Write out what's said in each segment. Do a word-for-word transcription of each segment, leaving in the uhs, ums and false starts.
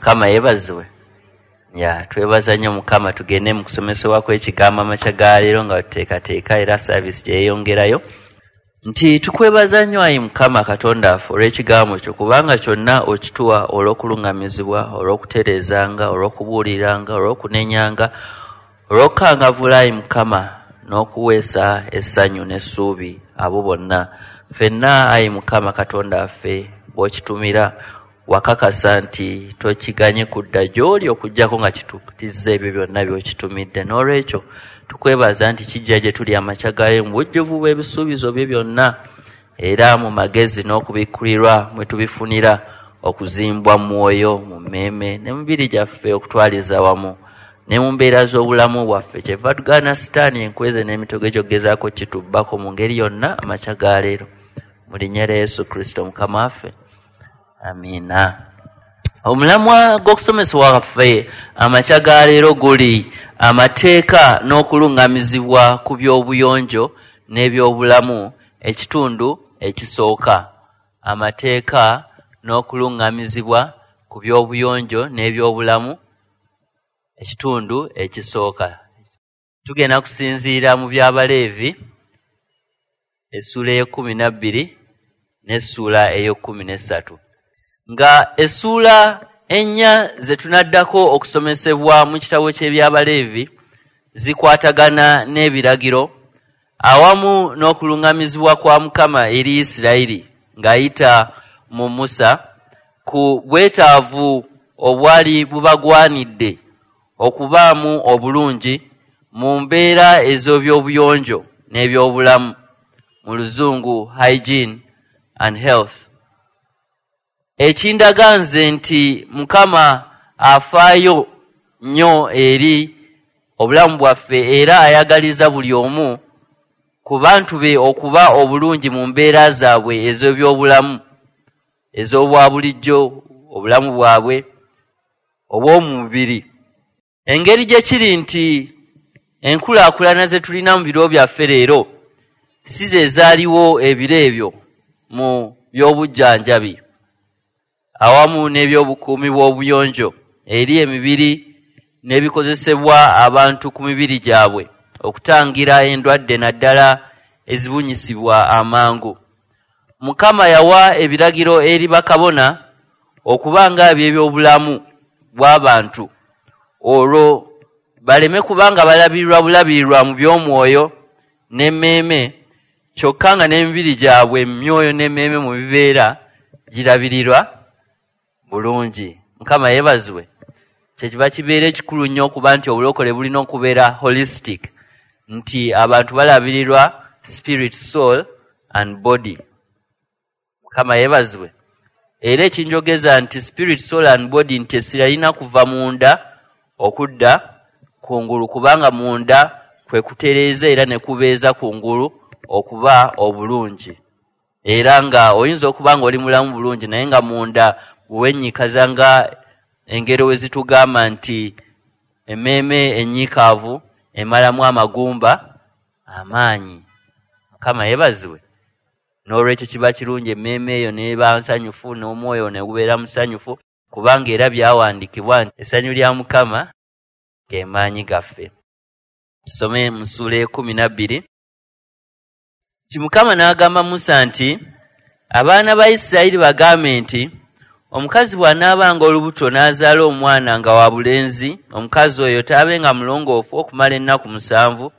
Mukama yeebazibwe. Ya, twebaza nnyo Mukama. Tugende mu kusomesebwa kw'ekigambo amakya ga leero nga tuteekateeka era service gye yeeyongerayo. Nti tukwebaza nnyo ayi Mukama Katonda waffe olw'ekigambo kyo, kubanga kyonna okituwa olw'okuluŋŋamizibwa, olw'okutereezanga, olw'okubuuliranga, olw'okunenyanga, olw'okukangavvula ayi Mukama, n'okuweesa essanyu n'essuubi abo bonna. Ffenna ayi Mukama Katonda waffe bw'okitumira wakakasa nti tokiganye kudda gy'oli okuggyako nga kituukiriza ebyo byonna by'okitumidde. N'olwekyo tukwebaza nti kijja gye tuli amakya gaayo mu bujjuvu bw'ebisuubizo bye byonna, era mu magezi n'okubikkulirwa mwe tubifunira okuzimbwa mu mwoyo, mu mmeeme ne mu mibiri gyaffe okutwaliza wamu ne mu mbeera z'obulamu bwaffe. Kyeva tugaana Sitaani enkweze n'emitego egy'okugezaako kitubbako mu ngeri yonna amakya ga leero. Mu linnya lya Yesu Kristo Mukama waffe, amiina. Omulamwa gw'okusomesebwa kwaffe amakya ga leero guli amateeka n'okuluŋŋamizibwa ku by'obuyonjo n'ebyobulamu, ekitundu ekisooka. Amateeka n'okuluŋŋamizibwa ku by'obuyonjo n'ebyobulamu, ekitundu ekisooka. Tugenda kusinziira mu by'Abaleevi essuula ey'ekkumi na bbiri n'essuula ey'ekkumi n'essatu. Nga essuula ennya ze tunaddako okusomesebwa mu kitabo ky'eby'Abaleevi zikwatagana n'ebiragiro awamu n'okuluŋŋamizibwa kwa Mukama eri Isirayiri ng'ayita mu Musa ku bwetaavu obwali bubagwanidde okubaamu obulungi mu mbeera ez'ebyobuyonjo n'ebyobulamu, mu Luzungu hygiene and health. Ekindaga nze nti Mukama afaayo nnyo eri obulamu bwaffe era ayagaliza buli omu ku bantu be okuba obulungi mu mbeera zaabwe ez'ebyobulamu, ez'obwa bulijjo, obulamu bwabwe obw'omubiri. Engeri gye kiri nti enkulaakulana ze tulina mu biro byaffe leero si ze zaaliwo ebiro ebyo mu by'obujjanjabi awamu n'ebyobukuumi bw'obuyonjo eri emibiri n'ebikozesebwa abantu ku mibiri gyabwe okutangira endwadde naddala ezibunyisibwa amangu. Mukama yawa ebiragiro eri bakabona okuba nga eby'ebyobulamu bw'abantu, olwo baleme kubanga balabirirwa bulabirirwa mu by'omwoyo n'emmeeme, kyokka nga n'emibiri gyabwe emyoyo n'emmeeme mu bibeera girabirirwa bulungi. Mukama yeebazibwe. Kyekiva kibeera ekikulu nnyo okuba nti obulokole bulina okubeera holistic, nti abantu balabirirwa spirit, soul and body. Mukama yeebazibwe. Era ekinjogeza nti spirit, soul and body, nti essira lirina kuva munda okudda kungulu, kubanga munda kwe kutereeza era ne kubeeza kungulu okuba obulungi. Era nga oyinza okuba nga oli mulamu bulungi naye nga munda bwe wennyikaza, nga engero we zitugamba nti emmeeme ennyiikaavu emalamu amagumba amaanyi. Mukama yeebazibwe. N'olwekyo kiba kirungi emmeeme eyo n'eba nsanyufu n'omwoyo ne gubeera musanyufu, kubanga era byawandiikibwa nti essanyu lya Mukama ge maanyi gaffe. Tusome mu ssuula ekkumi na bbiri. Nti Mukama n'agamba Musa nti abaana ba Isirayiri bagambe nti omukazi bw'anaabanga olubuto n'azaala omwana nga wa bulenzi, omukazi oyo taabenga mulongoofu okumala ennaku musanvu,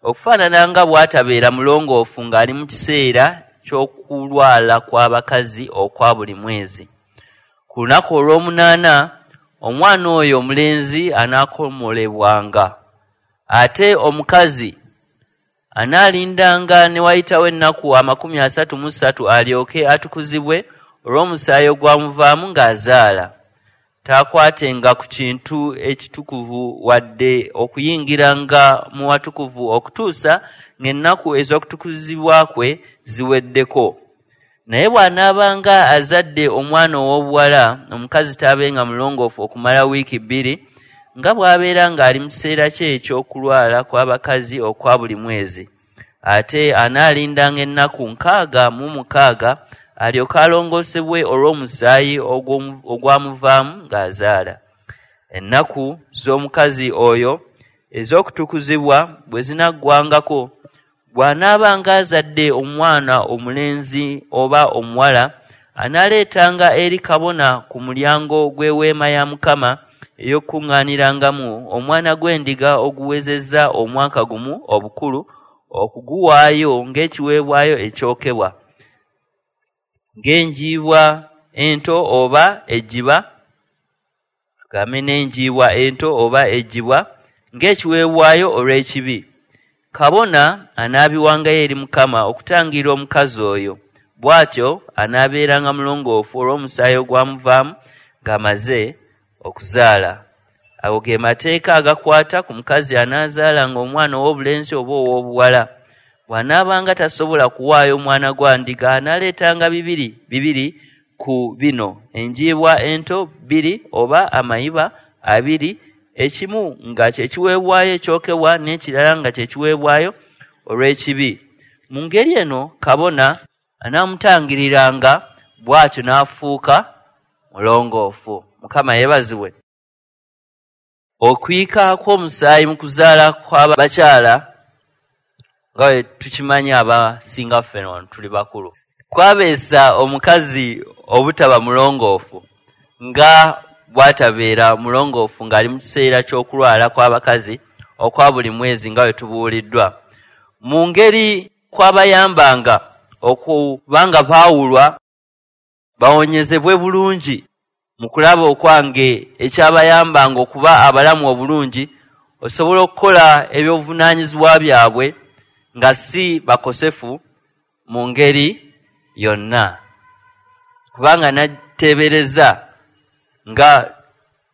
okufaanana nga bw'atabeera mulongoofu ng'ali mu kiseera ky'okulwala kw'abakazi okwa buli mwezi. Ku lunaku olw'omunaana omwana oyo omulenzi anaakomolebwanga, ate omukazi anaalindanga ne wayitawo ennaku amakumi asatu mu ssatu alyoke atukuzibwe olw'omusaayi ogwamuvaamu ng'azaala. Taakwatenga ku kintu ekitukuvu wadde okuyingiranga mu watukuvu okutuusa ng'ennaku ez'okutukuzibwa kwe ziweddeko. Naye bw'anaabanga azadde omwana ow'obuwala, omukazi taabenga mulongoofu okumala wiiki bbiri, nga bw'abeera ng'ali mu kiseera kye eky'okulwala kw'abakazi okwa buli mwezi. Ate anaalindanga ennaku nkaaga mu mukaaga alyoke alongoosebwe olw'omusaayi ogwamuvaamu ng'azaala. Ennaku z'omukazi oyo ez'okutukuzibwa bwe zinaggwangako, bw'anaabanga azadde omwana omulenzi oba omuwala, anaaleetanga eri kabona ku mulyango gw'eweema ya Mukama ey'okukuŋŋaanirangamu omwana gw'endiga oguwezezza omwaka gumu obukulu, okuguwaayo ng'ekiweebwayo ekyokebwa, ng'enjiibwa ento oba ejjiba, tugambe n'enjiibwa ento oba ejjibwa, ng'ekiweebwayo olw'ekibi. Kabona anaabiwangayo eri Mukama okutangira omukazi oyo, bw'atyo anaabeeranga mulongoofu olw'omusaayi ogwamuvaamu ng'amaze okuzaala. Ago ge mateeka agakwata ku mukazi anaazaalanga omwana ow'obulenzi oba ow'obuwala. Bw'anaabanga tasobola kuwaayo mwana gwa ndiga, anaaleetanga bibiri bibiri ku bino: enjiibwa ento bbiri oba amayiba abiri, ekimu nga kye kiweebwayo ekyokebwa n'ekirala nga kye kiweebwayo olw'ekibi. Mu ngeri eno kabona anaamutangiriranga, bw'atyo n'afuuka mulongoofu. Mukama yeebazibwe. Okuyika kw'omusaayi mu kuzaala kw'abakyala, nga bwe tukimanyi abasinga ffe wano tuli bakulu, kwabeesa omukazi obutaba mulongoofu nga bw'atabeera mulongoofu ng'ali mu kiseera ky'okulwala kw'abakazi okwa buli mwezi nga bwe tubuuliddwa. Mu ngeri kwabayambanga okuba nga baawulwa bawonyezebwe bulungi mu kulaba okwange ekyabayambanga okuba abalamu obulungi, osobola okukola ebyobuvunaanyizibwa byabwe nga si bakosefu mu ngeri yonna. Kubanga nateebereza nga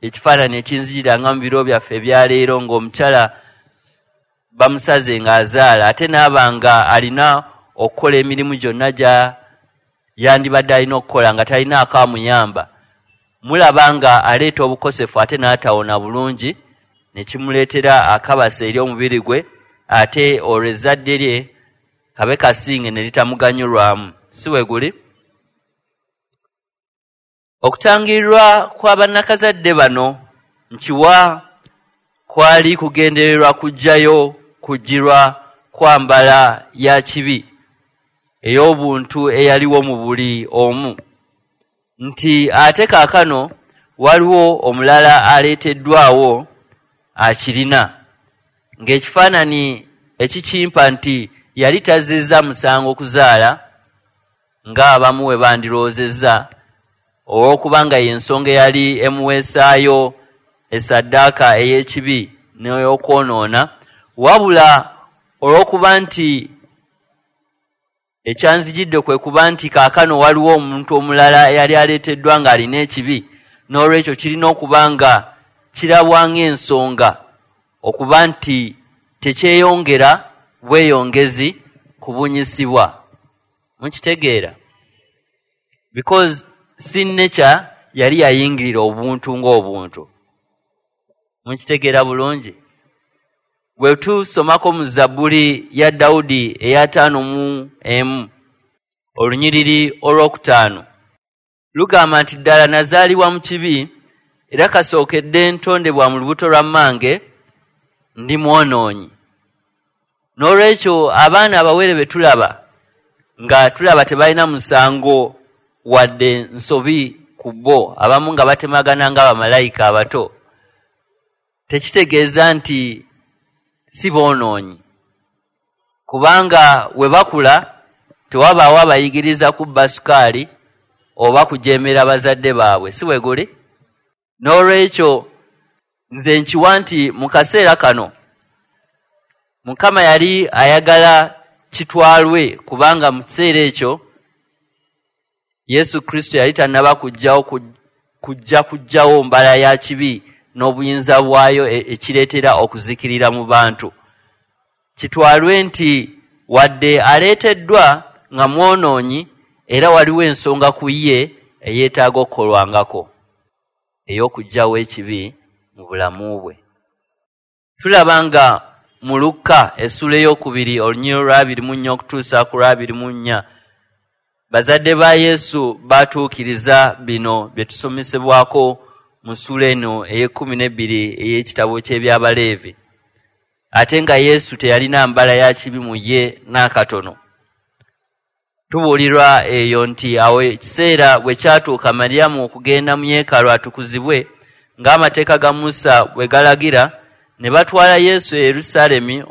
ekifaananyi ekinzijiranga mu biro byaffe ebyaleero ng'omukyala bamusaze ng'azaala, ate n'aba nga alina okukola emirimu gyonna gya yandibadde alina okukola nga talina akamuyamba, mulaba nga aleeta obukosefu ate n'atawona bulungi, ne kimuleetera akabasa eri omubiri gwe, ate olwo ezzadde lye kabe kasinge ne litamuganyulwamu. Si we guli? Okutangirirwa kwa bannakazadde bano nkiwa kwali kugendererwa kuggyayo kujjirwa kwa mbala ya kibi ey'obuntu eyaliwo mu buli omu, nti ate kaakano waliwo omulala aleeteddwawo akirina, ng'ekifaananyi ekikimpa nti yali tazzizza musango kuzaala ng'abamu we bandirowoozezza, olw'okubanga y'ensonga eyali emuweesaayo essaddaaka ey'ekibi n'ey'okwonoona, wabula olw'okuba nti ekyanzijidde kwe kuba nti kaakano waliwo omuntu omulala eyali aleeteddwa ng'alina ekibi, n'olwekyo kirina okuba nga kirabwa ng'ensonga okuba nti tekyeyongera bweyongezi kubunyisibwa. Mukitegeera? Because sin nature yali yayingirira obuntu ng'obuntu. Mukitegeera bulungi? Bwe tusomako mu Zabbuli ya Dawudi ey'ataano mu emu, olunyiriri olwokutaano, lugamba nti ddala nazaalibwa mu kibi, era kasookedde ntondebwa mu lubuto lwa mmange ndi mwonoonyi. N'olwekyo abaana abawere be tulaba nga tulaba tebalina musango wadde nsobi ku bo, abamu nga batemagana nga bamalayika abato, tekitegeeza nti si boonoonyi, kubanga we bakula tewabaawo abayigiriza kubba sukaali oba kujeemera bazadde baabwe, si bwe guli? N'olwekyo nze nkiwa nti mu kaseera kano Mukama yali ayagala kitwalwe, kubanga mu kiseera ekyo Yesu Kristo yali tannaba kujjawo kujja kuggyawo mbala ya kibi n'obuyinza bwayo ekireetera okuzikirira mu bantu. Kitwalwe nti wadde aleeteddwa nga mwonoonyi, era waliwo ensonga ku ye eyeetaaga okukolwangako ey'okuggyawo ekibi mu bulamu bwe. Tulaba nga mu Lukka essuula ey'okubiri olunyiriri lw'abiri mu nnya okutuusa ku lw'abiri mu nnya, Bazadde ba Yesu batuukiriza bino bye tusomesebwako mu ssuula eno ey'ekkumi n'ebbiri ey'ekitabo ky'Ebyabaleevi. Ate nga Yesu teyalina mbala ya kibi mu ye n'akatono. Tubuulirwa eyo nti awo ekiseera bwe kyatuuka Mariyamu okugenda mu yeekaalu atukuzibwe ng'amateeka ga Musa bwe galagira, ne batwala Yesu e Yerusaalemi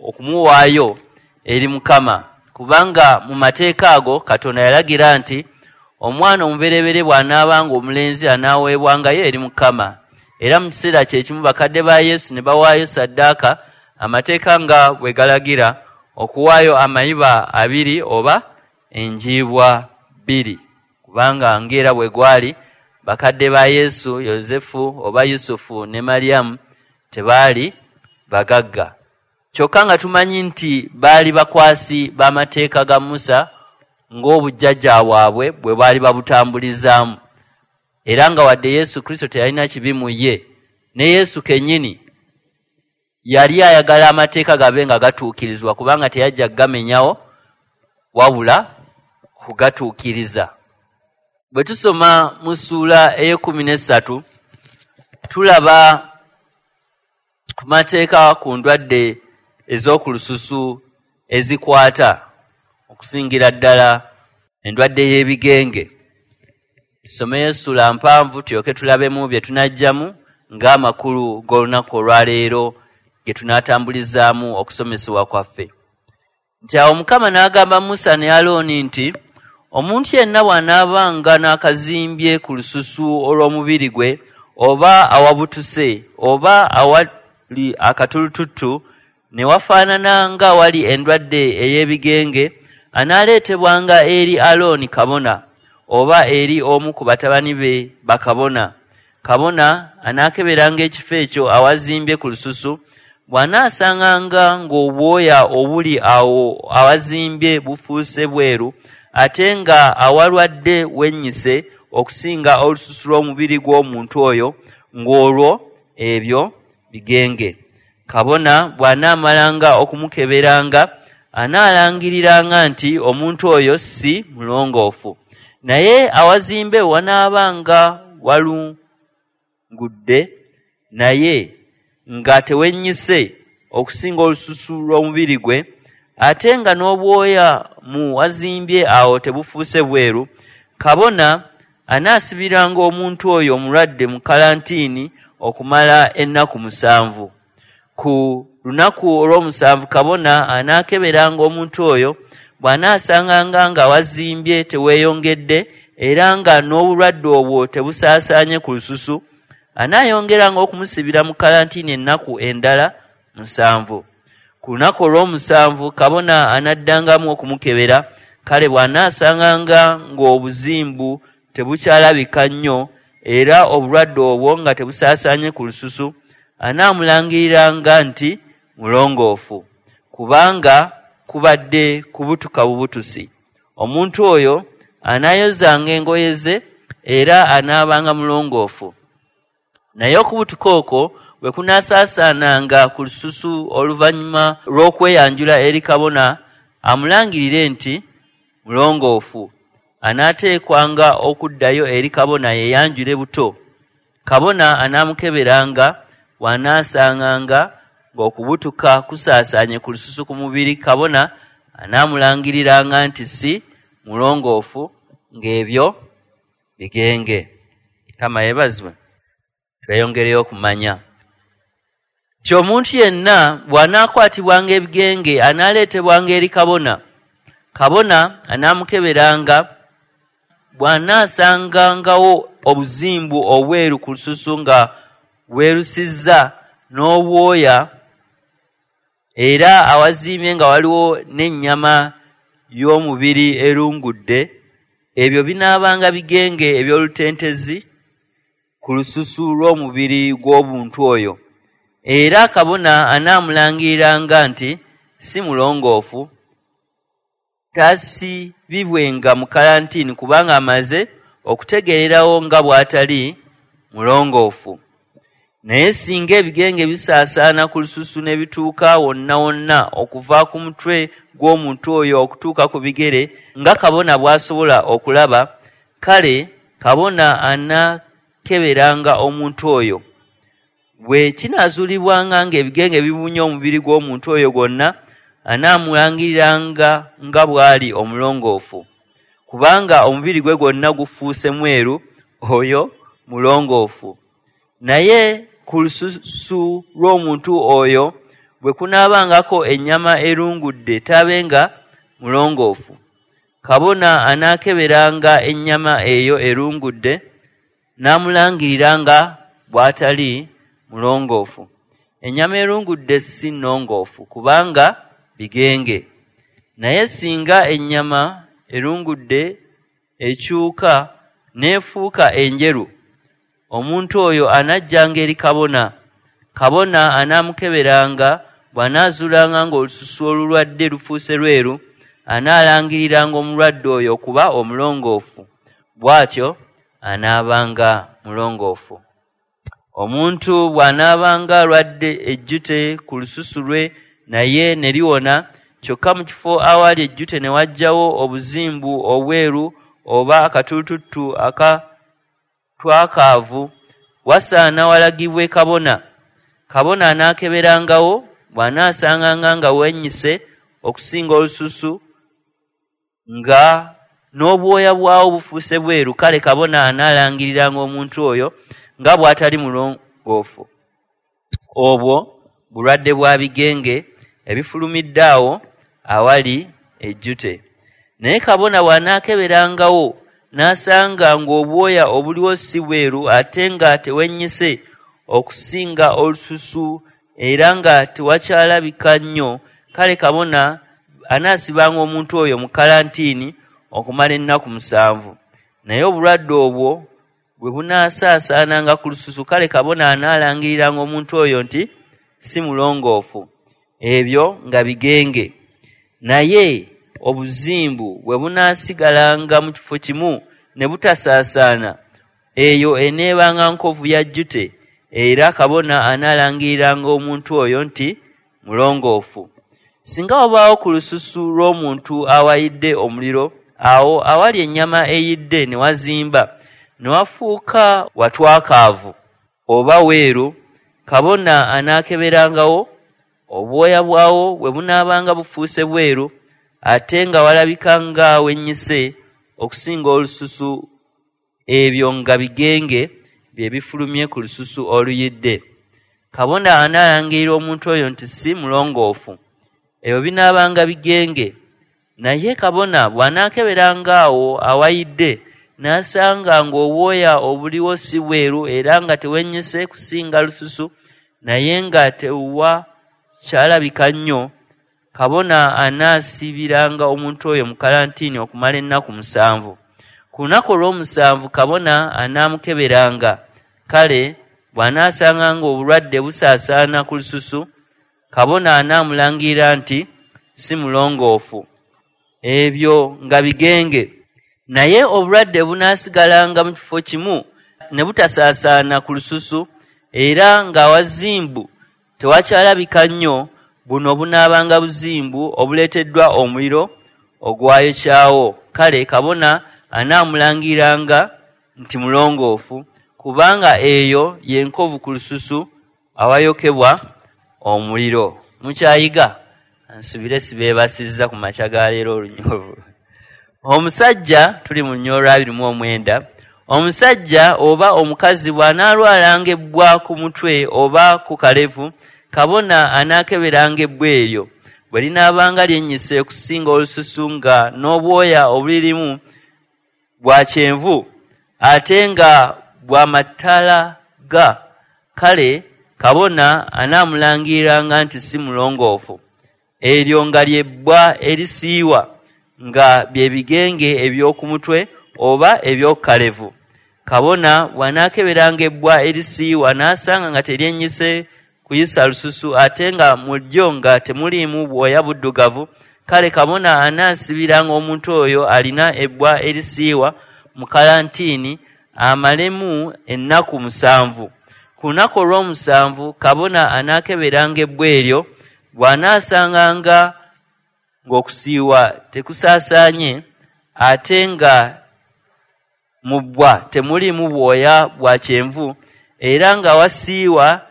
okumuwaayo eri Mukama, kubanga mu mateeka ago Katonda yalagira nti omwana omubereberye bw'anaabanga omulenzi anaaweebwangayo eri Mukama. Era mu kiseera kye kimu bakadde ba Yesu ne bawaayo ssaddaaka, amateeka nga bwe galagira, okuwaayo amayiba abiri oba enjiibwa bbiri, kubanga ng'era bwe gwali bakadde ba Yesu, Yozefu oba Yusufu ne Mariyamu tebaali bagagga. Kyokka nga tumanyi nti baali bakwasi b'amateeka ga Musa ng'obujjajja bwabwe bwe baali babutambulizaamu. Era nga wadde Yesu Kristo teyalina kibi mu ye, ne Yesu kennyini yali ayagala amateeka gabe nga gatuukirizibwa, kubanga teyajja kugamenyawo wabula kugatuukiriza. Bwe tusoma mu ssuula ey'ekkumi n'essatu tulaba ku mateeka ku ndwadde ez'oku lususu ezikwata, okusingira ddala endwadde y'ebigenge. Tusomeyo essuula mpanvu tulyoke tulabemu bye tunajjamu ng'amakulu g'olunaku olwaleero ge tunaatambulizaamu okusomesebwa kwaffe. Nti awo Mukama n'agamba Musa ne Alooni nti omuntu yenna bw'anaabanga n'akazimbye ku lususu olw'omubiri gwe, oba awabutuse oba awali akatulututtu ne wafaanana ng'awali endwadde ey'ebigenge, anaaleetebwanga eri Alooni kabona oba eri omu ku batabani be bakabona. Kabona anaakeberanga ekifo ekyo awazimbye ku lususu, bw'anaasanganga ng'obwoya obuli awo awazimbye bufuuse bweru, ate nga awalwadde wennyise okusinga olususu lw'omubiri gw'omuntu oyo, ng'olwo ebyo bigenge. Kabona bw'anaamalanga okumukeberanga, anaalangiriranga nti omuntu oyo si mulongoofu. Naye awazimbe wanaabanga walungudde, naye nga tewennyise okusinga olususu lw'omubiri gwe, ate nga n'obwoya mu wazimbye awo tebufuuse bweru, kabona anaasibiranga omuntu oyo omulwadde mu kalantiini okumala ennaku musanvu. Ku lunaku olw'omusanvu kabona anaakeberanga omuntu oyo, bw'anaasanganga nga wazimbye teweeyongedde era nga n'obulwadde obwo tebusaasaanye ku lususu, anaayongeranga okumusibira mu kalantiini ennaku endala musanvu. Ku lunaku olw'omusanvu kabona anaddangamu okumukebera, kale bw'anaasanganga ng'obuzimbu tebukyalabika nnyo era obulwadde obwo nga tebusaasaanye ku lususu, anaamulangiriranga nti mulongoofu, kubanga kubadde kubutuka bubutusi. Omuntu oyo anaayozanga engoye ze era anaabanga mulongoofu. Naye okubutuka okwo bwe kunaasaasaananga ku lususu oluvannyuma lw'okweyanjula eri kabona, amulangirire nti mulongoofu, anaateekwanga okuddayo eri kabona yeeyanjule buto. Kabona anaamukeberanga, bw'anaasanganga ng'okubutuka kusaasaanye ku lususu ku mubiri, kabona anaamulangiriranga nti si mulongoofu, ng'ebyo bigenge. Mukama yeebazibwe. Tweyongereyo okumanya nti omuntu yenna bw'anaakwatibwanga ebigenge anaaleetebwanga eri kabona. Kabona anaamukeberanga, bw'anaasangangawo obuzimbu obweru ku lususu nga bwerusizza n'obwoya, era awazimbye nga waliwo n'ennyama y'omubiri erungudde, ebyo binaabanga bigenge eby'olutentezi ku lususu lw'omubiri gw'omuntu oyo. Era kabona anaamulangiriranga nti si mulongoofu, taasibibwenga mu kalantiini, kubanga amaze okutegeererawo nga bw'atali mulongoofu. Naye singa ebigenge bisaasaana ku lususu ne bituuka wonna wonna okuva ku mutwe gw'omuntu oyo okutuuka ku bigere, nga kabona bw'asobola okulaba, kale kabona anaakeberanga omuntu oyo. Bwe kinaazuulibwanga ng'ebigenge bibunye omubiri gw'omuntu oyo gwonna, anaamulangiriranga nga bw'ali omulongoofu, kubanga omubiri gwe gwonna gufuuse mweru, oyo mulongoofu. Naye ku lususu lw'omuntu oyo bwe kunaabangako ennyama erungudde, taabenga mulongoofu. Kabona anaakeberanga ennyama eyo erungudde, n'amulangirira nga bw'atali mulongoofu. Ennyama erungudde si nnongoofu, kubanga bigenge. Naye singa ennyama erungudde ekyuka n'efuuka enjeru, omuntu oyo anajjanga eri kabona. Kabona anaamukeberanga, bw'anaazuulanga ng'olususu olulwadde lufuuse lweru, anaalangiriranga omulwadde oyo okuba omulongoofu, bw'atyo anaabanga mulongoofu. Omuntu bw'anaabanga alwadde ejjute ku lususu lwe naye ne liwona, kyokka mu kifo awali ejjute ne wajjawo obuzimbu obweru oba akatulututtu akatwakaavu, wasaana walagibwe kabona. Kabona anaakeberangawo, bw'anaasanganga nga wennyise okusinga olususu, nga n'obwoya bwawo bufuuse bweru, kale kabona anaalangiriranga omuntu oyo nga bw'atali mulongoofu. Obwo bulwadde bwa bigenge ebifulumidde awo awali ejjute. Naye kabona bw'anaakeberangawo n'asanga ng'obwoya obuliwo si bweru ate nga tewennyise okusinga olususu era nga tewakyalabika nnyo, kale kabona anaasibanga omuntu oyo mu kalantiini okumala ennaku musanvu. Naye obulwadde obwo bwe bunaasaasaananga ku lususu, kale kabona anaalangiriranga omuntu oyo nti si mulongoofu, ebyo nga bigenge. Naye obuzimbu bwe bunaasigalanga mu kifo kimu ne butasaasaana, eyo eneebanga nkovu ya jjute, era kabona anaalangiriranga omuntu oyo nti mulongoofu. Singa wabaawo ku lususu lw'omuntu awayidde omuliro, awo awali ennyama eyidde ne wazimba, ne wafuuka watwakaavu oba weeru, kabona anaakeberangawo, obwoya bwawo bwe bunaabanga bufuuse bweru ate nga walabika nga wennyise okusinga olususu, ebyo nga bigenge bye bifulumye ku lususu oluyidde. Kabona anaalangirira omuntu oyo nti si mulongoofu, ebyo binaabanga bigenge. Naye kabona bw'anaakeberanga awo awayidde n'asanga ng'obwoya obuliwo si bweru era nga tewennyise kusinga lususu, naye nga tewakyalabika nnyo, kabona anaasibiranga omuntu oyo mu kalantiini okumala ennaku musanvu. Ku lunaku olw'omusanvu kabona anaamukeberanga, kale bw'anaasanga ng'obulwadde busaasaana ku lususu, kabona anaamulangirira nti si mulongoofu, ebyo nga bigenge. Naye obulwadde bunaasigalanga mu kifo kimu ne butasaasaana ku lususu, era ng'awazimbu tewakyalabika nnyo, buno bunaabanga buzimbu obuleeteddwa omuliro ogwayokyawo. Kale kabona anaamulangiranga nti mulongoofu, kubanga eyo y'enkovu ku lususu awayokebwa omuliro. Mukyayiga? Nsubire sibeebasizza ku makya ga leero olunyovu. Omusajja, tuli mu lunyolo lwa abiri mu omwenda, omusajja oba omukazi bw'anaalwalanga ebbwa ku mutwe oba ku kalevu, kabona anaakeberanga ebbwa eryo. Bwe linaabanga lyennyise okusinga olususu nga n'obwoya obulirimu bwa kyenvu ate nga bwa matalaga, kale kabona anaamulangiriranga nti si mulongoofu. Eryo nga lyebbwa erisiiwa, nga bye bigenge eby'oku mutwe oba eby'oku kalevu. Kabona bw'anaakeberanga ebbwa erisiiwa n'asanga nga teryennyise kuyisa lususu ate nga mu lyo nga temuliimu bwoya buddugavu, kale kabona anaasibiranga omuntu oyo alina ebbwa erisiiwa mu kalantiini amalemu ennaku musanvu. Ku lunaku olw'omusanvu kabona anaakeberanga ebbwa eryo, bw'anaasanganga ng'okusiiwa tekusaasaanye ate nga mu bbwa temuliimu bwoya bwa kyenvu era nga wasiiwa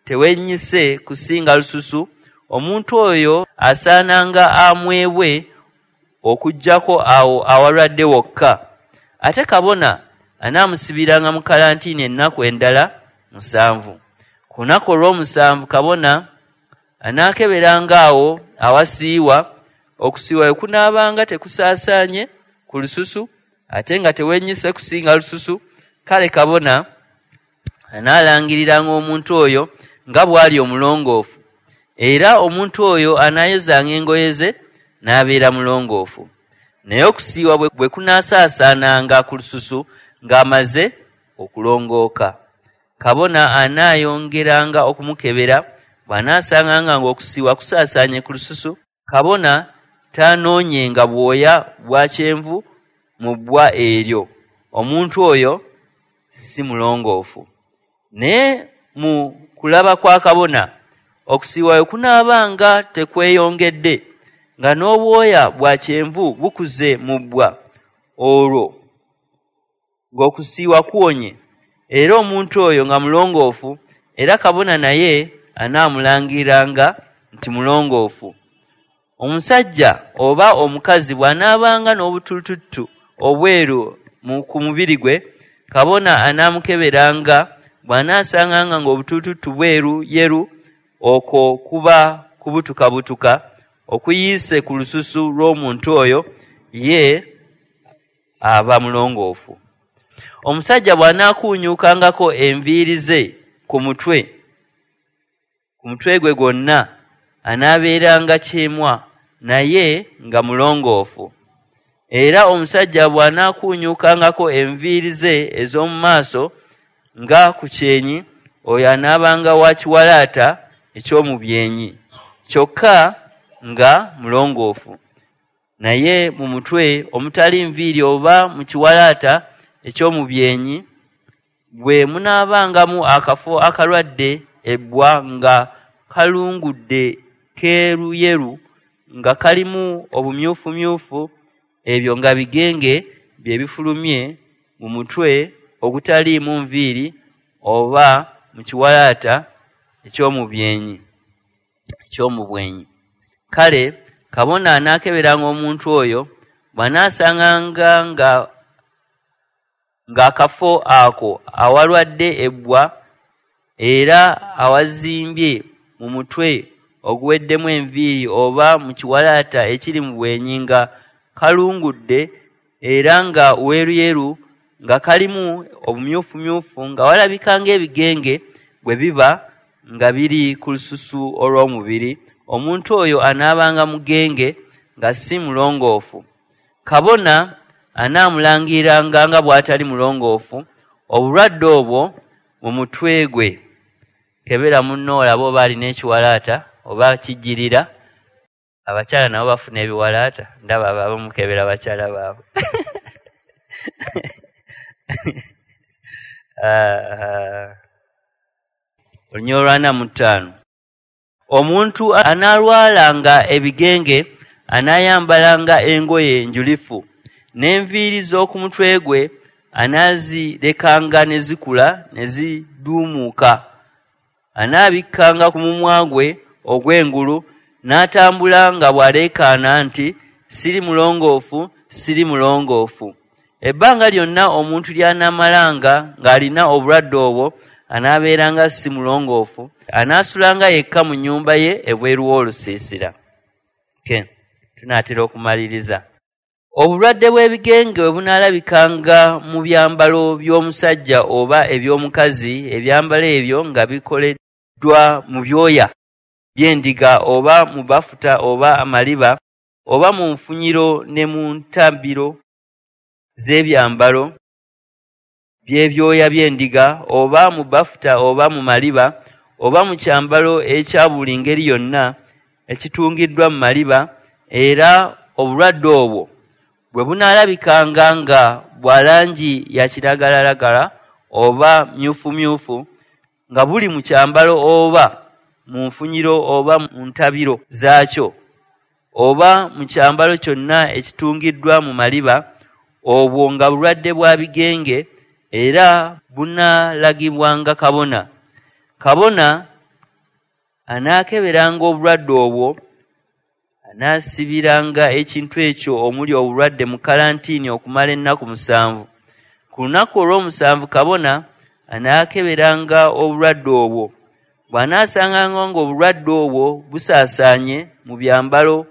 tewennyise kusinga lususu, omuntu oyo asaananga amwebwe okuggyako awo awalwadde wokka. Ate kabona anaamusibiranga mu kalantiini ennaku endala musanvu. Ku lunaku olw'omusanvu kabona anaakeberanga awo awasiiwa, okusiiwa bwe kunaabanga tekusaasaanye ku lususu ate nga tewennyise kusinga lususu, kale kabona anaalangiriranga omuntu oyo nga bw'ali omulongoofu, era omuntu oyo anaayozanga engoye ze n'abeera mulongoofu. Naye okusiiwa bwe kunaasaasaananga ku lususu ng'amaze okulongooka, kabona anaayongeranga okumukebera. Bw'anaasanganga ng'okusiiwa kusaasaanye ku lususu, kabona taanoonyenga bwoya bwa kyenvu mu bbwa eryo, omuntu oyo si mulongoofu. Naye mu kulaba kwa kabona, okusiiwa bwe kunaabanga tekweyongedde, nga n'obwoya bwa kyenvu bukuze mu bbwa, olwo ng'okusiiwa kuwonye, era omuntu oyo nga mulongoofu, era kabona naye anaamulangiranga nti mulongoofu. Omusajja oba omukazi bw'anaabanga n'obutulututtu obweru ku mubiri gwe, kabona anaamukeberanga. Bw'anaasanganga ng'obutulututtu bweru yeru, okwo kuba kubutukabutuka okuyiise ku lususu lw'omuntu oyo, ye aba mulongoofu. Omusajja bw'anaakuunyuukangako enviiri ze ku mutwe ku mutwe gwe gwonna, anaabeeranga kyemwa naye nga mulongoofu. Era omusajja bw'anaakuunyuukangako enviiri ze ez'omu maaso nga ku kyenyi, oyo anaabanga wa kiwalaata eky'omu byenyi, kyokka nga mulongoofu. Naye mu mutwe omutali nviiri oba mu kiwalaata eky'omu byenyi, bwe munaabangamu akafo akalwadde ebbwa nga kalungudde keeruyeru nga kalimu obumyufumyufu, ebyo nga bigenge bye bifulumye mu mutwe ogutaliimu nviiri oba mu kiwalaata eky'omu byenyi eky'omu bwenyi. Kale kabona anaakeberanga omuntu oyo, bw'anaasanganga nga ng'akafo ako awalwadde ebbwa era awazimbye mu mutwe oguweddemu enviiri oba mu kiwalaata ekiri mu bwenyi nga kalungudde era nga weeruyeru nga kalimu obumyufumyufu nga walabika ng'ebigenge bwe biba nga biri ku lususu olw'omubiri, omuntu oyo anaabanga mugenge nga si mulongoofu. Kabona anaamulangiranga nga bw'atali mulongoofu obulwadde obwo mu mutwe gwe. Kebera munno olabe oba alina ekiwalaata oba kijjirira. Abakyala nabo bafuna ebiwalaata, ndaba abamukebera bakyala baabwe. Olunyiriri olw'ana mu ttaano. Omuntu anaalwalanga ebigenge anaayambalanga engoye enjulifu, n'enviiri z'oku mutwe gwe anaazirekanga ne zikula ne ziduumuuka. Anaabikkanga ku mumwa gwe ogw'engulu, n'atambula nga bw'aleekaana nti, siri mulongoofu, siri mulongoofu. Ebbanga lyonna omuntu ly'anaamalanga ng'alina obulwadde obwo anaabeeranga si mulongoofu, anaasulanga yekka mu nnyumba ye ebweru w'olusiisira. Okay, tunaatera okumaliriza. Obulwadde bw'ebigenge bwe bunaalabikanga mu byambalo by'omusajja oba eby'omukazi, ebyambalo ebyo nga bikoleddwa mu byoya by'endiga oba mu bafuta oba amaliba oba mu nfunyiro ne mu ntabiro z'ebyambalo by'ebyoya by'endiga oba mu bafuta oba mu maliba oba mu kyambalo ekya buli ngeri yonna ekitungiddwa mu maliba, era obulwadde obwo bwe bunaalabikanga nga bwa langi ya kiragalalagala oba myufumyufu, nga buli mu kyambalo oba mu nfunyiro oba mu ntabiro zaakyo, oba mu kyambalo kyonna ekitungiddwa mu maliba, obwo nga bulwadde bwa bigenge, era bunaalagibwanga kabona. Kabona anaakeberanga obulwadde obwo, anaasibiranga ekintu ekyo omuli obulwadde mu kalantiini okumala ennaku musanvu. Ku lunaku olw'omusanvu kabona anaakeberanga obulwadde obwo. Bw'anaasanganga ng'obulwadde obwo busaasaanye mu byambalo,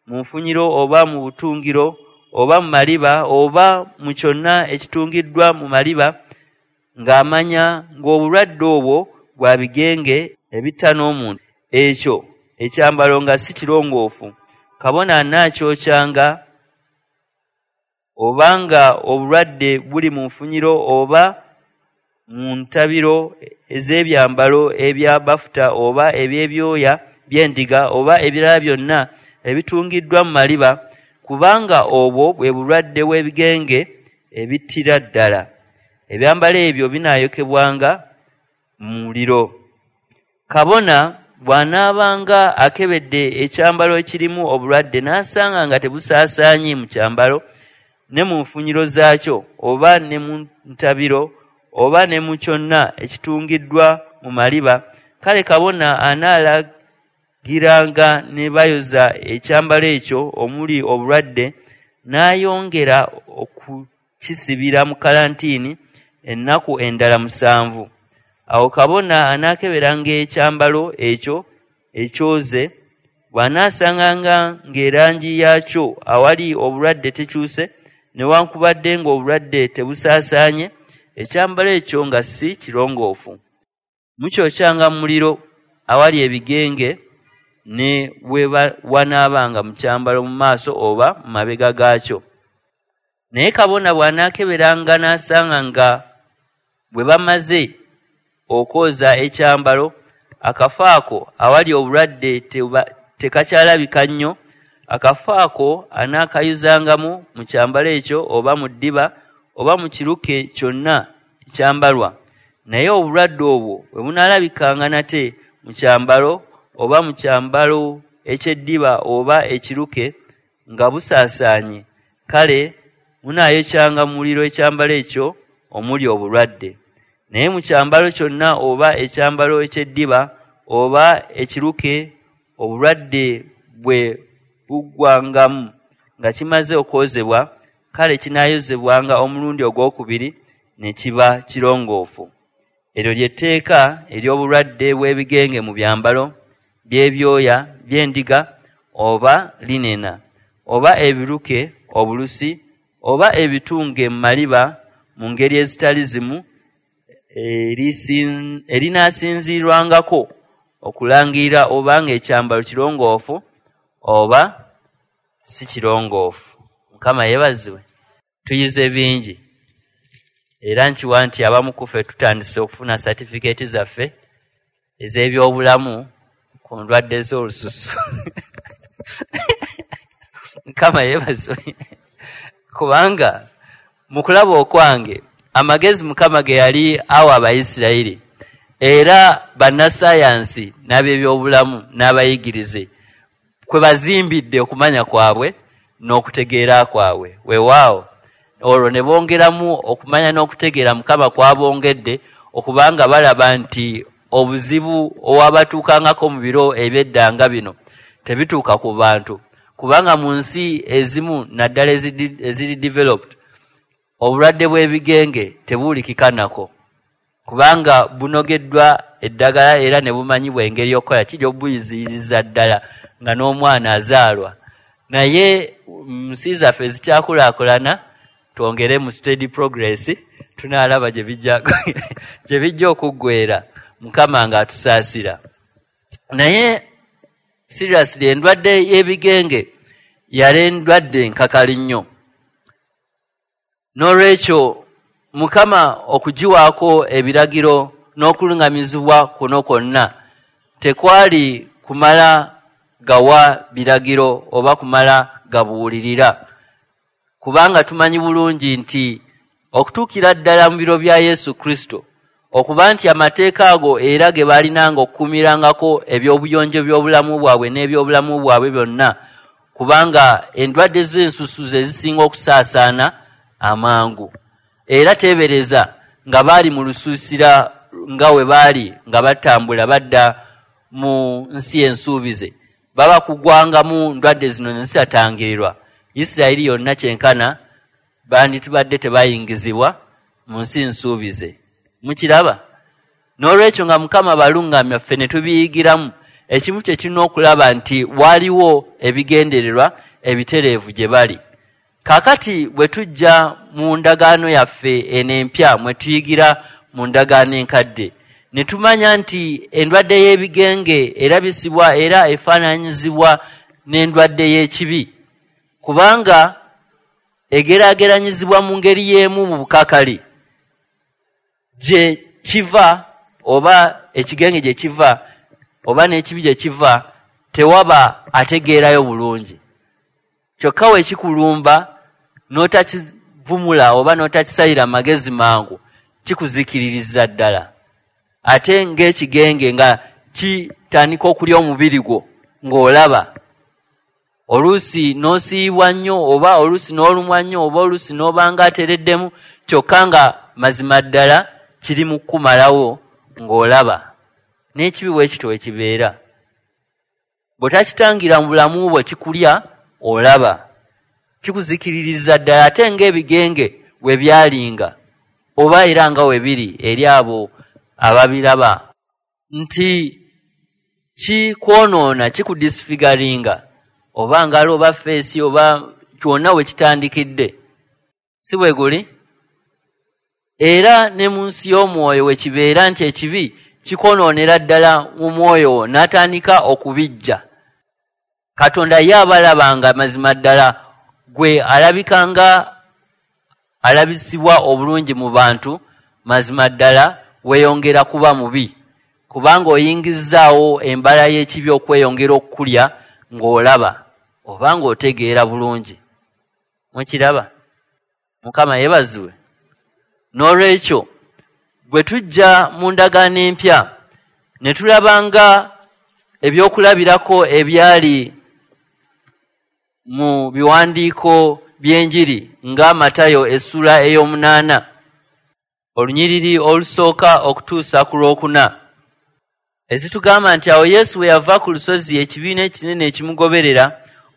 mu nfunyiro oba mu butungiro oba mu maliba oba mu kyonna ekitungiddwa mu maliba, ng'amanya ng'obulwadde obwo bwa bigenge ebitta n'omuntu, ekyo ekyambalo nga si kirongoofu, kabona anaakyokyanga, obanga obulwadde buli mu nfunyiro oba mu ntabiro ez'ebyambalo ebya bafuta oba eby'ebyoya by'endiga oba ebirala byonna ebitungiddwa mu maliba, kubanga obwo bwe bulwadde bw'ebigenge ebittira ddala. Ebyambalo ebyo binaayokebwanga mu muliro. Kabona bw'anaabanga akebedde ekyambalo ekirimu obulwadde n'asanga nga tebusaasaanye mu kyambalo ne mu nfunyiro zaakyo oba ne mu ntabiro oba ne mu kyonna ekitungiddwa mu maliba, kale kabona anaalagiranga ne bayoza ekyambalo ekyo omuli obulwadde, n'ayongera okukisibira mu kalantiini ennaku endala musanvu. Awo kabona anaakeberanga ekyambalo ekyo ekyoze, bw'anaasanganga ng'erangi yaakyo awali obulwadde tekyuse, newankubadde ng'obulwadde tebusaasaanye, ekyambalo ekyo nga si kirongoofu. Mukyokyanga mu muliro awali ebigenge ne we wanaabanga mu kyambalo mu maaso oba mu mabega gaakyo. Naye kabona bw'anaakeberanga n'asanga nga bwe bamaze okwoza ekyambalo, akafo ako awali obulwadde tekakyalabika nnyo, akafo ako anaakayuzangamu mu kyambalo ekyo oba mu ddiba oba mu kiruke kyonna ekyambalwa. Naye obulwadde obwo bwe bunaalabikanga nate mu kyambalo oba mu kyambalo eky'eddiba oba ekiruke nga busaasaanye, kale munaayokyanga mu muliro ekyambalo ekyo omuli obulwadde. Naye mu kyambalo kyonna oba ekyambalo eky'eddiba oba ekiruke obulwadde bwe buggwangamu nga kimaze okwozebwa, kale kinaayozebwanga omulundi ogwokubiri ne kiba kirongoofu. Eryo ly'etteeka ery'obulwadde bw'ebigenge mu byambalo by'ebyoya by'endiga oba linena oba ebiruke obulusi oba ebitunge mu maliba mu ngeri ezitali zimu, erinaasinziirwangako okulangirira obanga ekyambalo kirongoofu oba si kirongoofu. Mukama yeebazibwe. Tuyize bingi, era nkiwa nti abamu ku ffe tutandise okufuna satifikeeti zaffe ez'ebyobulamu ku ndwadde z'olususu. Mukama yeebazibwe. Kubanga mu kulaba okwange amagezi Mukama ge yali awa Abayisirayiri, era bannasayansi n'ab'ebyobulamu n'abayigirize kwe bazimbidde okumanya kwabwe n'okutegeera kwabwe. Weewaawo olwo ne bongeramu okumanya n'okutegeera Mukama kwabongedde, okubanga balaba nti obuzibu obwabatuukangako mu biro eby'edda nga bino tebituuka ku bantu, kubanga mu nsi ezimu naddala eziri developed obulwadde bw'ebigenge tebuwulikika nako, kubanga bunogeddwa eddagala era ne bumanyibwa engeri y'okukola kiri obuyiziyiriza ddala nga n'omwana azaalwa. Naye mu nsi zaffe ezikyakulaakulana, twongere mu steady progress, tunaalaba gye bijja gye bijja okuggwera, Mukama ng'atusaasira. Naye seriously, endwadde y'ebigenge yali endwadde enkakali nnyo. N'olwekyo Mukama okugiwaako ebiragiro n'okuluŋŋamizibwa kuno kwonna tekwali kumala gawa biragiro oba kumala gabuulirira, kubanga tumanyi bulungi nti okutuukira ddala mu biro bya Yesu Kristo, okuba nti amateeka ago era ge baalinanga okukuumirangako eby'obuyonjo by'obulamu bwabwe n'ebyobulamu bwabwe byonna, Kubanga endwadde z'ensusu ze zisinga okusaasaana amangu. Era teebereza nga baali mu lusuusira nga we baali nga batambula badda mu nsi ensuubize, baba kugwangamu ndwadde zino ne zitatangirirwa, Isirayiri yonna kyenkana banditubadde tebayingizibwa mu nsi nsuubize. Mukiraba? N'olwekyo nga Mukama baluŋŋamya ffe ne tubiyigiramu, ekimu kye kirina okulaba nti waliwo ebigendererwa ebitereevu gye bali. Kaakati bwe tujja mu ndagaano yaffe eno empya mwe tuyigira mu ndagaano enkadde, ne tumanya nti endwadde y'ebigenge erabisibwa era efaananyizibwa n'endwadde y'ekibi, kubanga egeraageranyizibwa mu ngeri y'emu mu bukakali gye kiva oba ekigenge gye kiva oba n'ekibi gye kiva, tewaba ategeerayo bulungi. Kyokka we kikulumba n'otakivumula oba n'otakisalira magezi mangu, kikuzikiririza ddala. Ate ng'ekigenge nga kitandika okulya omubiri gwo ng'olaba, oluusi n'osiiyibwa nnyo oba oluusi n'olumwa nnyo oba oluusi n'obanga atereddemu, kyokka nga mazima ddala kiri mu kukumalawo ng'olaba. N'ekibi bwe kityo bwe kibeera. Bw'otakitangira mu bulamu bwo kikulya olaba, kikuzikiririza ddala. Ate ng'ebigenge bwe byalinga oba era nga we biri eri abo ababiraba, nti kikwonoona, kikudisfiguringa oba ngalo oba feesi oba kyonna we kitandikidde, si bwe guli? Era ne mu nsi y'omwoyo we kibeera nti ekibi kikwonoonera ddala mu mwoyo wo n'atandika okubijja. Katonda ye abalabanga mazima ddala gwe alabika nga alabisibwa obulungi mu bantu, mazima ddala weeyongera kuba mubi, kubanga oyingizzaawo embala y'ekibi okweyongera okukulya ng'olaba oba ng'otegeera bulungi. Mukiraba? Mukama yeebazibwe. N'olwekyo bwe tujja mu ndagaano empya ne tulaba nga ebyokulabirako ebyali mu biwandiiko by'enjiri nga Matayo essula ey'omunaana olunyiriri olusooka okutuusa ku lwokuna, ezitugamba nti awo Yesu bwe yava ku lusozi ekibiina ekinene ekimugoberera,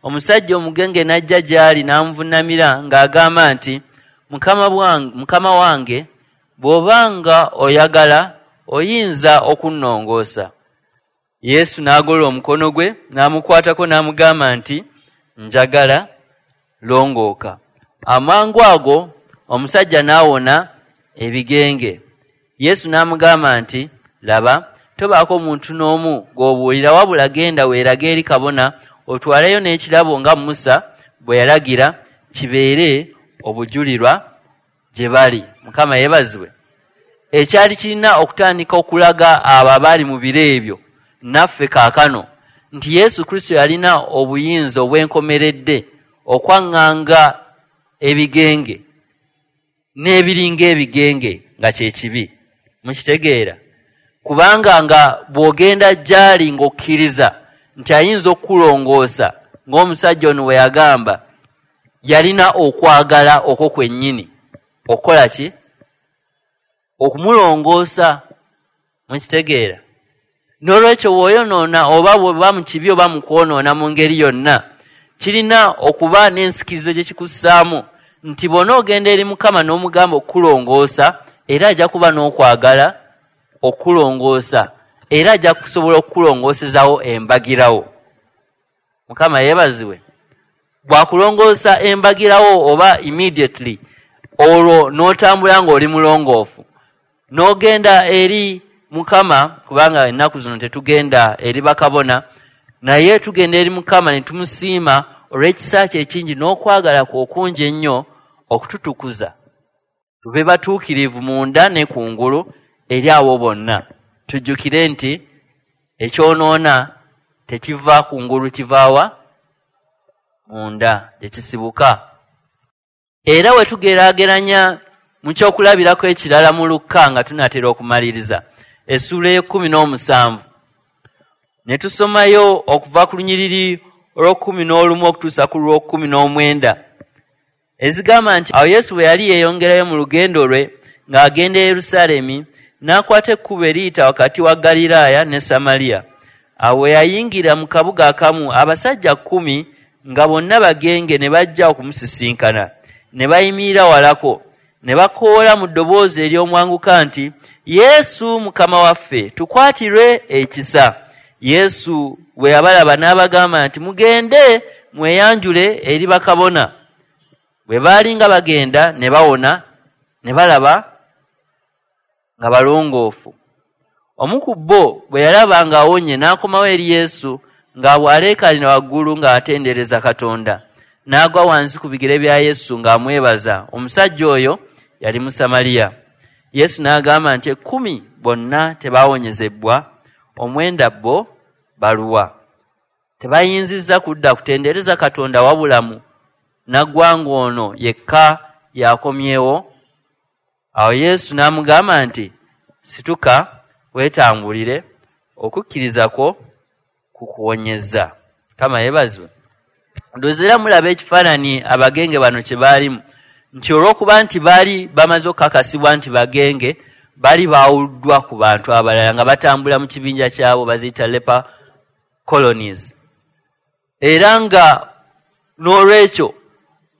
omusajja omugenge n'ajja gy'ali n'amuvunnamira ng'agamba nti, Mukama wange, bw'obanga oyagala oyinza okunnongoosa. Yesu n'agolola omukono gwe n'amukwatako n'amugamba nti, njagala, longooka. Amangu ago omusajja n'awona ebigenge. Yesu n'amugamba nti, laba, tobaako muntu n'omu gw'obuulira, wabula genda weerage eri kabona, otwaleyo n'ekirabo nga Musa bwe yalagira, kibeere obujulirwa gye bali. Mukama yeebazibwe. Ekyali kirina okutandika okulaga abo abaali mu biro ebyo naffe kaakano nti Yesu Kristo yalina obuyinza obwenkomeredde okwaŋŋanga ebigenge n'ebiringa ebigenge nga kye kibi. Mukitegeera? Kubanga nga bw'ogenda gy'ali ng'okkiriza nti ayinza okukulongoosa, ng'omusajja ono bwe yagamba, yalina okwagala okwo kwennyini okukola ki? Okumulongoosa. Mukitegeera? N'olwekyo bw'oyonoona oba bw'oba mu kibi oba mu kwonoona mu ngeri yonna, kirina okuba n'ensikirizo gye kikussaamu nti bw'onoogenda eri Mukama n'omugamba okukulongoosa, era ajja kuba n'okwagala okukulongoosa, era ajja kusobola okukulongoosezaawo embagirawo. Mukama yeebazibwe. Bw'akulongoosa embagirawo oba immediately, olwo n'otambula ng'oli mulongoofu, n'ogenda eri Mukama, kubanga ennaku zino tetugenda eri bakabona, naye tugenda eri Mukama ne tumusiima olw'ekisa kye ekingi n'okwagala kwe okungi ennyo okututukuza, tube batuukirivu munda ne kungulu eri abo bonna. Tujjukire nti ekyonoona tekiva kungulu, kivaawa munda gye kisibuka. Era we tugeraageranya mu kyokulabirako ekirala mu Lukka nga tunaatera okumaliriza essuula ey'ekkumi n'omusanvu, ne tusomayo okuva ku lunyiriri olw'okkumi n'olumu okutuusa ku lw'okkumi n'omwenda, ezigamba nti awo Yesu bwe yali yeeyongerayo mu lugendo lwe ng'agenda e Yerusaalemi, n'akwata ekkubo eriyita wakati wa Ggaliraaya ne Samaliya. Awo we yayingira mu kabuga akamu, abasajja kkumi nga bonna bagenge ne bajja okumusisinkana, ne bayimirira walako, ne bakoola mu ddoboozi ery'omwanguka nti, Yesu Mukama waffe, tukwatirwe ekisa. Yesu bwe yabalaba n'abagamba nti, mugende mweyanjule eri bakabona. Bwe baali nga bagenda ne bawona, ne balaba nga balongoofu. Omu ku bo bwe yalaba ng'awonye n'akomawo eri Yesu nga bw'aleekaanira waggulu ng'atendereza Katonda, n'agwa wansi ku bigere bya Yesu ng'amwebaza. Omusajja oyo yali Musamaliya. Yesu n'agamba nti, ekkumi bonna tebaawonyezebwa, omwenda bo baluwa? Tebayinzizza kudda kutendereza Katonda wabulamu naggwanga ono yekka yakomyewo? Awo Yesu n'amugamba nti, situka weetambulire, okukkiriza kwo kukuwonyezza. Mukama yeebazibwe. Ndowooza era mulaba ekifaananyi abagenge bano kye baalimu, nti olw'okuba nti baali bamaze okukakasibwa nti bagenge, bali baawuddwa ku bantu abalala nga batambula mu kibinja kyabo baziyita leper colonies. Era nga n'olwekyo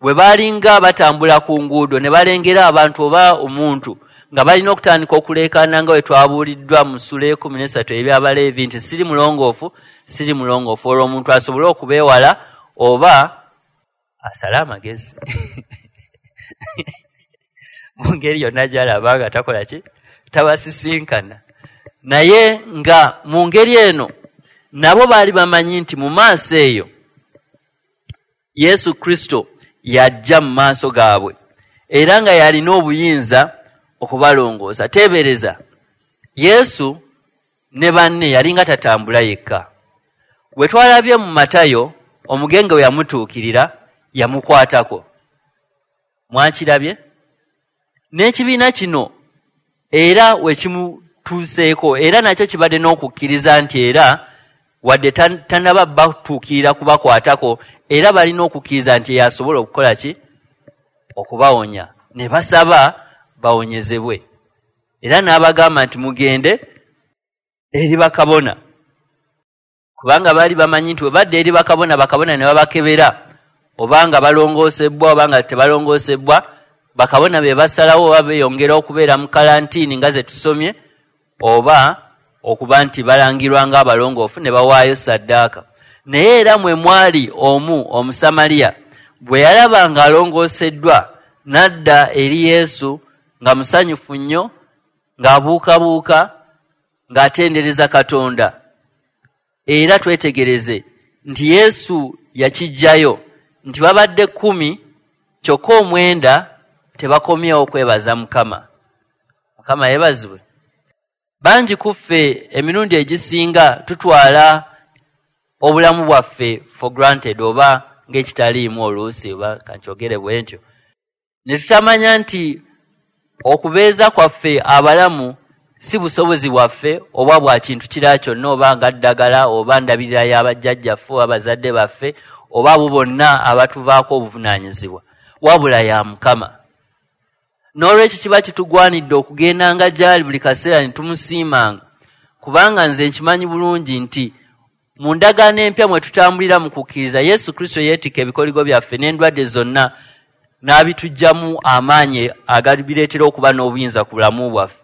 bwe baalinga batambula ku nguudo ne balengera abantu oba omuntu nga balina okutandika okuleekaana nga bwe twabuuliddwa mu ssuula ekkumi n'essatu eby'Abaleevi nti siri mulongoofu, siri mulongoofu, olwo omuntu asobole okubeewala oba asale amagezi mu ngeri yonna gy'alaba nga takola ki, tabasisinkana. Naye nga mu ngeri eno nabo baali bamanyi nti mu maaso eyo Yesu Kristo yajja mu maaso gaabwe era nga yalina obuyinza okubalongoosa. Teebereza, Yesu ne banne yalinga tatambula yekka. Bwe twalabye mu Matayo, omugenge we yamutuukirira yamukwatako. Mwakirabye? N'ekibiina kino era we kimutuuseeko, era nakyo kibadde n'okukkiriza nti era wadde tannaba batuukirira kubakwatako, era balina okukkiriza nti yasobola okukola ki? Okubawonya. Ne basaba bawonyezebwe. Era n'abagamba nti mugende eri bakabona, kubanga baali bamanyi nti bwe badda eri bakabona, bakabona ne babakebera obanga balongoosebwa obanga tebalongoosebwa, bakabona be basalawo oba beeyongera okubeera mu kalantiini nga ze tusomye, oba okuba nti balangirwa ng'abalongoofu ne bawaayo ssaddaaka. Naye era mwe mwali omu Omusamaliya bwe yalaba ng'alongooseddwa n'adda eri Yesu nga musanyufu nnyo, ng'abuukabuuka, ng'atendereza Katonda. Era twetegereze nti Yesu yakiggyayo nti babadde kkumi kyokka omwenda tebakomyewo kwebaza Mukama. Mukama yeebazibwe. Bangi ku ffe emirundi egisinga tutwala obulamu bwaffe for granted, oba ng'ekitaliimu oluusi, oba kankyogere bwe ntyo, ne tutamanya nti okubeeza kwaffe abalamu si busobozi bwaffe oba bwa kintu kirala kyonna, oba nga ddagala oba ndabirira y'abajjajjaffe oba bazadde baffe oba abo bonna abatuvaako obuvunaanyizibwa, wabula ya Mukama. N'olwekyo kiba kitugwanidde okugendanga gy'ali buli kaseera ne tumusiimanga, kubanga nze nkimanyi bulungi nti mu ndagaano empya mwe tutambulira mu kukkiriza, Yesu Kristo yeetikka ebikoligo byaffe n'endwadde zonna n'abituggyamu amaanyi agabireetera okuba n'obuyinza ku bulamu bwaffe.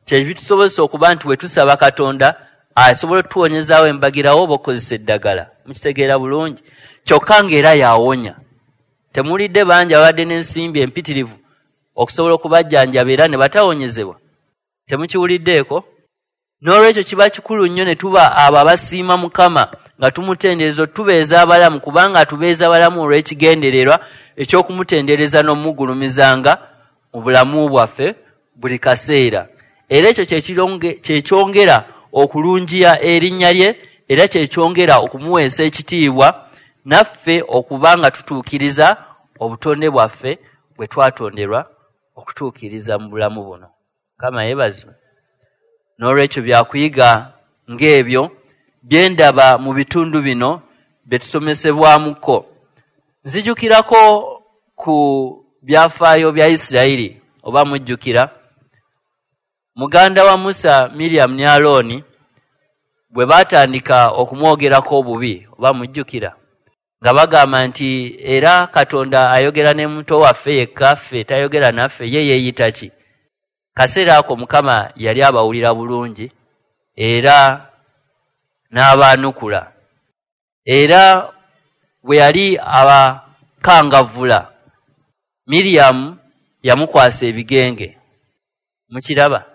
Kye bitusobozesa okuba nti bwe tusaba Katonda asobola otuwonyezaawo embagirawo oba okukozesa eddagala. Mukitegeera bulungi. Kyokka ng'era yawonya. Temuwulidde bangi abadde n'ensimbi empitirivu okusobola okubajjanjaba era ne batawonyezebwa? Temukiwuliddeeko? N'olwekyo kiba kikulu nnyo ne tuba abo abasiima Mukama nga tumutendereza, otubeeza abalamu, kubanga atubeeza abalamu olw'ekigendererwa eky'okumutendereza n'omugulumizanga mu bulamu bwaffe buli kaseera. Era ekyo kye kyongera okulungiya erinnya lye, era kye kyongera okumuweesa ekitiibwa naffe okuba nga tutuukiriza obutonde bwaffe bwe twatonderwa okutuukiriza mu bulamu buno. Mukama yeebazibwe. N'olwekyo byakuyiga ng'ebyo bye ndaba mu bitundu bino bye tusomesebwamuko. Nzijukirako ku byafaayo bya Isirayiri, oba mujjukira muganda wa Musa Miriam ne Alooni bwe baatandika okumwogerako obubi, oba mujjukira nga bagamba nti era Katonda ayogera ne muto waffe yekka, ffe tayogera naffe, ye yeeyita ki? Kaseera ako Mukama yali abawulira bulungi era n'abaanukula. Era bwe yali abakangavvula, Miriam yamukwasa ebigenge. Mukiraba?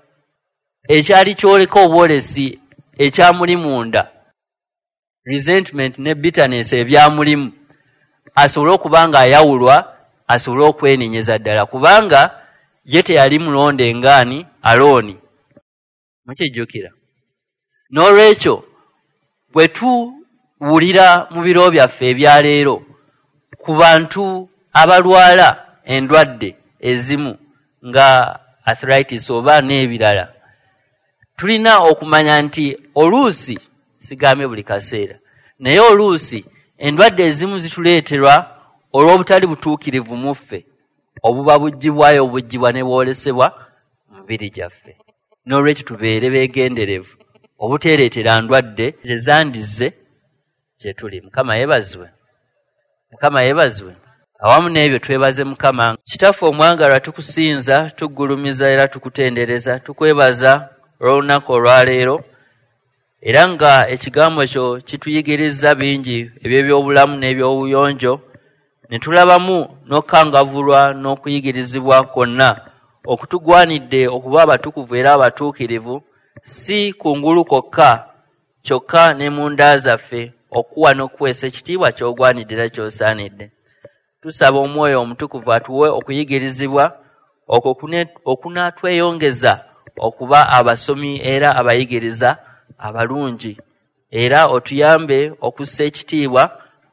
Ekyali kyoleka obwolesi ekyamuli munda, resentment ne bitterness ebyamulimu, asobole okuba nga ayawulwa, asobole okwenenyeza ddala, kubanga ye teyali mulonde ngaani Alooni. Mukijjukira? N'olwekyo bwe tuwulira mu biro byaffe ebya leero ku bantu abalwala endwadde ezimu nga arthritis oba n'ebirala, tulina okumanya nti oluusi, sigambe buli kaseera, naye oluusi endwadde ezimu zituleeterwa olw'obutali butuukirivu mu ffe, obuba buggyibwayo obuggyibwa ne bwolesebwa mu mibiri gyaffe. N'olwekyo tubeere beegenderevu obuteereetera ndwadde ezandizze gye tuli. Mukama yeebazibwe. Mukama yeebazibwe. Awamu n'ebyo twebaze Mukama. Kitaffe omwagalwa, tukusinza, tuggulumiza era tukutendereza, tukwebaza olw'olunaku olwaleero, era nga ekigambo kyo kituyigiriza bingi eby'ebyobulamu n'ebyobuyonjo, ne tulabamu n'okukangavvulwa n'okuyigirizibwa kwonna okutugwanidde okuba abatukuvu era abatuukirivu, si kungulu kwokka kyokka ne mu nda zaffe, okuwa n'okuweesa ekitiibwa ky'ogwanidde era ky'osaanidde. Tusaba Omwoyo Omutukuvu atuwe okuyigirizibwa okwo okunaatweyongeza okuba abasomi era abayigiriza abalungi, era otuyambe okussa ekitiibwa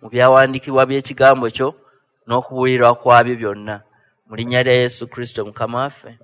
mu byawandiikibwa by'ekigambo kyo n'okubuulirwa kwabyo byonna. Mu linnya lya Yesu Kristo Mukama waffe.